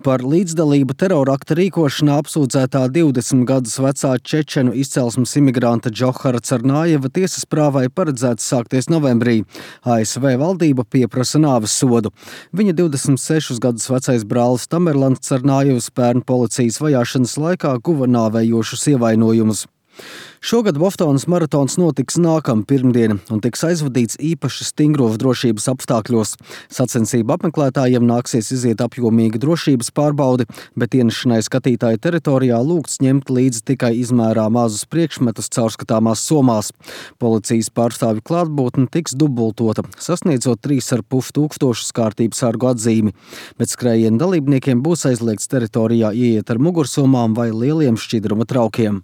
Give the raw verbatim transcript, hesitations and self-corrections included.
Par līdzdalību terorakta rīkošanā apsūdzētā divdesmit gadus vecā čečenu izcelsmes imigranta Džohara Carnājeva tiesas prāvai paredzēts sākties novembrī. A S V valdība pieprasa nāves sodu. Viņa divdesmit sešus gadus vecais brālis Tamerlans Carnājevs pērn policijas vajāšanas laikā guva nāvējošus ievainojumus. Šogad Boftonas maratons notiks nākamā pirmdiena un tiks aizvadīts īpaši stingros drošības apstākļos. Sacensību apmeklētājiem nāksies iziet apjomīga drošības pārbaudi, bet ienešanai skatītāju teritorijā lūgts ņemt līdzi tikai izmērā mazus priekšmetus caurskatāmās somās. Policijas pārstāvju klātbūtne tiks dubultota, sasniedzot trīs ar pus tūkstošus kārtības sargu atzīmi, bet skrējienu dalībniekiem būs aizliegts teritorijā ieiet ar mugursomām vai lieliem šķidruma traukiem.